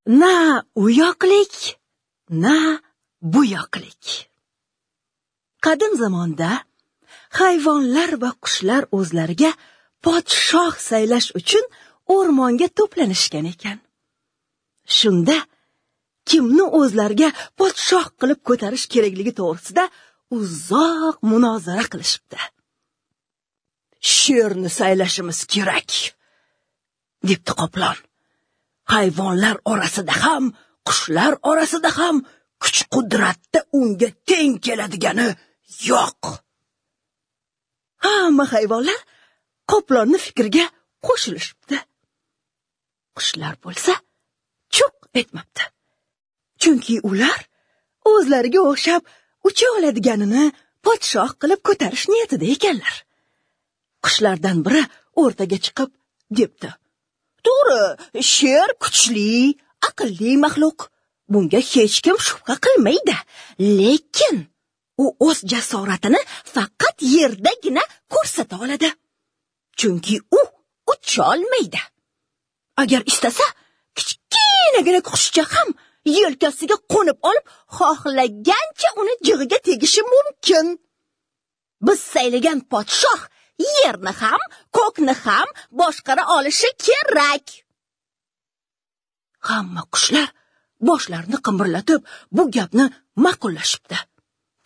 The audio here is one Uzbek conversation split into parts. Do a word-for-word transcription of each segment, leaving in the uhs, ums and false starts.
Na u yoqlik, na bu yoqlik. Qadim zamonda hayvonlar va qushlar o'zlariga podshoh saylash uchun o'rmonga to'planishgan ekan. Shunda kimni o'zlariga podshoh qilib ko'tarish kerakligi to'g'risida uzoq munozara qilishibdi. Sherni saylashimiz kerak, debdi qoplon. Hayvonlar orasida ham, qushlar orasida ham kuch-qudratda unga teng keladigani yo'q. Hamma hayvonlar qoplonni fikriga qo'shilishibdi. Qushlar bo'lsa chuq etmabdi. Chunki ular o'zlariga o'xshab ucha oladiganini podshoh qilib ko'tarish niyatida ekanlar. Qushlardan biri o'rtaga chiqib debdi: "To'g'ri, sher kuchli, aqlli maxluq. Bunga hech kim shubha qilmaydi. Lekin u o'z jasoratini faqat yerdagina ko'rsata oladi. Chunki u ucholmaydi. Agar istasa, kichkinagina qushcha ham yelkasiga qo'nib olib, xohlagancha uni jig'iga tegishi mumkin. Biz saylagan podshoh yerni ham, ko'kni ham boshqara olishi kerak." Hamma qushlar boshlarini qimirlatib, bu gapni ma'qullashibdi.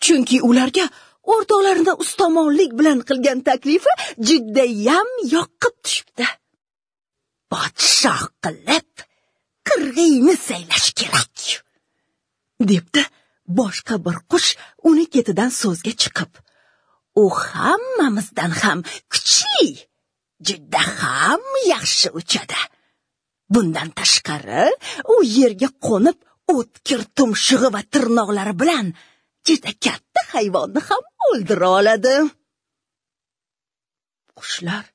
Chunki ularga o'rtoqlarini ustomonlik bilan qilgan taklifi judayam yoqib tushibdi. Podshoh qilib qirg'iyni saylash kerak, debdi boshqa bir qush uni ketidan so'zga chiqib. U hammamizdan ham kuchli, juda ham yaxshi uchadi. Bundan tashqari, u yerga qo'nib, o'tkir tumshug'i va tirnoqlari bilan juda katta hayvonni ham o'ldira oladi. Qushlar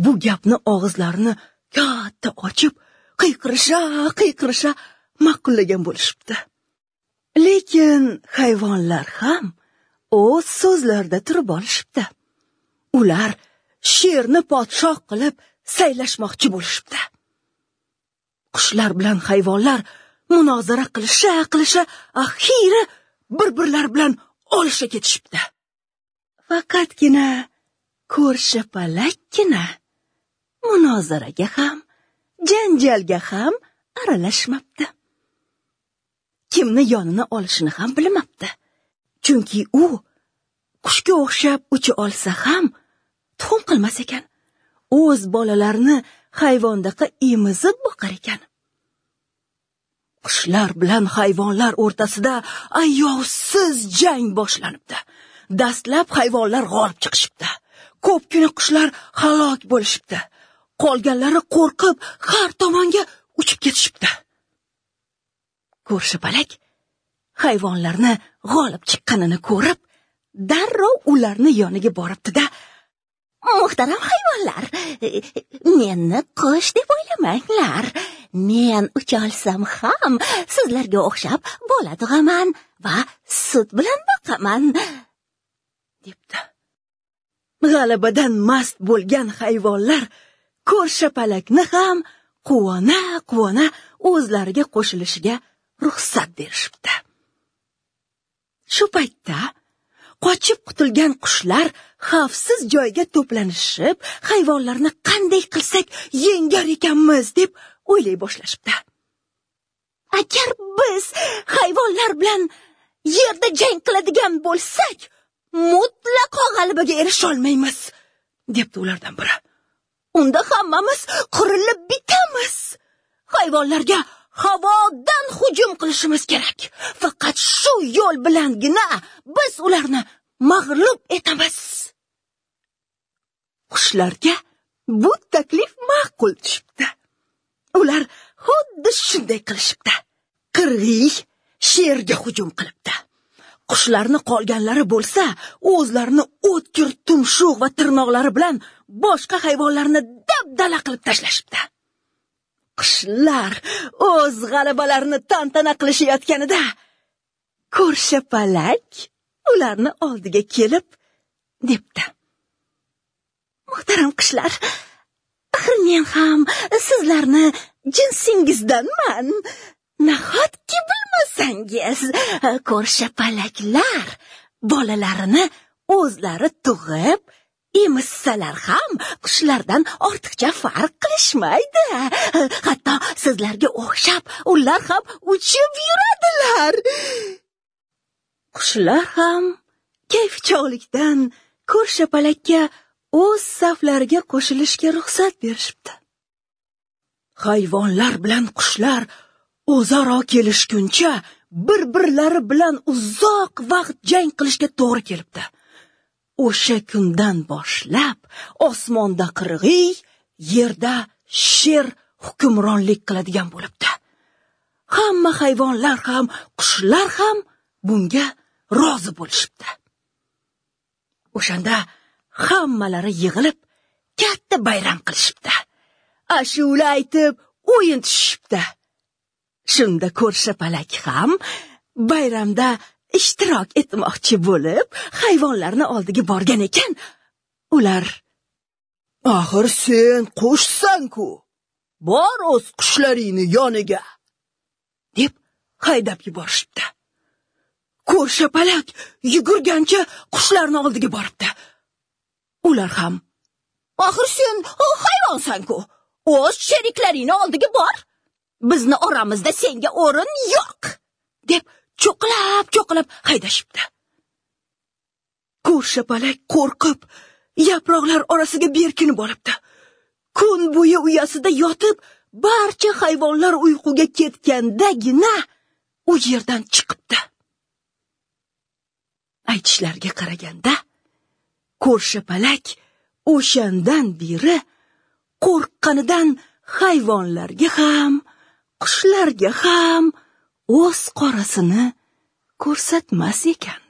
bu gapni og'izlarini katta ochib, qiyqirisha, qiyqirisha ma'qullagan bo'lishibdi. Lekin hayvonlar ham o'z so'zlarida turib olishibdi. Ular sherni podshoh qilib saylashmoqchi bo'lishibdi. Qushlar bilan hayvonlar munozara qilisha qilisha axiri bir-birlari bilan olisha ketishibdi. Faqatgina ko'rshi palakkina munozaraga ham, janjalga ham aralashmabdi. Kimni yonini olishini ham bilmabdi. Chunki u qushga o'xshab ucha olsa ham tuxum qilmas ekan. O'z bolalarini hayvondaqa emizib boqar ekan. Qushlar bilan hayvonlar o'rtasida ayovsiz jang boshlanibdi. Dastlab hayvonlar g'olib chiqishibdi. Ko'pgina qushlar halok bo'lishibdi. Qolganlari qo'rqib har tomonga uchib ketishibdi. Ko'rshi palak hayvonlarni g'olib chiqqanini ko'rib, darrov ularni yoniga boribdi-da, "Muhtaram hayvonlar, meni qush deb o'ylamanglar. Men ucholsam ham sizlarga o'xshab bola tug'aman va sut bilan boqaman", debdi. G'alabadan mast bo'lgan hayvonlar ko'rshi palakni ham quvona-quvona o'zlariga qo'shilishiga ruxsat berishibdi. Shu paytda qochib qutulgan qushlar xavfsiz joyga to'planishib, hayvonlarni qanday qilsak yengar ekanmiz deb o'ylay boshlashibdi. Agar biz hayvonlar bilan yerda jang qiladigan bo'lsak, mutlaqo g'alabaga erisha olmaymiz, debdi ulardan biri. Unda hammamiz qirilib bitamiz. Hayvonlarga havodan hujum qilishimiz kerak. Faqat shu yo'l bilangina biz ularni mag'lub etamiz. Qushlarga bu taklif ma'qul tushibdi. Ular xuddi shunday qilishibdi. Qirg'iy sherga hujum qilibdi. Qushlarni qolganlari bo'lsa, o'zlarini o'tkir tumshuq va tirnoqlari bilan boshqa hayvonlarni dabdala qilib tashlashibdi. Qushlar o'z g'alabalarini tantana qilishayotganida ko'rshi palak ularni oldiga kelib debdi: "Muhtaram qushlar, Axir men ham sizlarni jinsingizdanman. Nahotki bilmasangiz, ko'rshapalaklar bolalarini o'zlari tug'ib emizsalar ham qushlardan ortiqcha farq qilishmaydi. Hatto sizlarga o'xshab ular ham uchib yuradilar. Qushlar ham kayfchog'likdan ko'rshapalakka o'z saflariga qo'shilishga ruxsat berishibdi. Hayvonlar bilan qushlar o'zaro kelishguncha bir-birlari bilan uzoq vaqt jang qilishga to'g'ri kelibdi. O'sha kundan boshlab osmonda qirg'iy, yerda sher hukmronlik qiladigan bo'libdi. Hamma hayvonlar ham, qushlar ham bunga rozi bo'lishibdi. O'shanda hammalari yig'ilib katta bayram qilishibdi. Ashula aytib o'yin tushishibdi. Shunda ko'rshapalak ham bayramda ishtirok etmoqchi bo'lib, hayvonlarni oldiga borgan ekan. Ular: "Axir sen qushsan-ku, bor o'z qushlaringni yoniga", deb haydab yuborishibdi. Ko'rshapalak yugurgancha qushlarni oldiga boribdi. Ular ham: "Axir sen hayvonsan-ku, o'z sheriklaringni oldiga bor. Bizni oramizda senga o'rin yo'q", deb cho'qilab-cho'qilab haydashibdi. Ko'rshapalak qo'rqib, yaproqlar orasiga berkinib olibdi. Kun bo'yi uyasida yotib, barcha hayvonlar uyquga ketgandagina u yerdan chiqibdi. Aytishlariga qaraganda, ko'rshapalak o'shandan beri qo'rqqanidan hayvonlarga ham, qushlarga ham o'z qorasini ko'rsatmas ekan.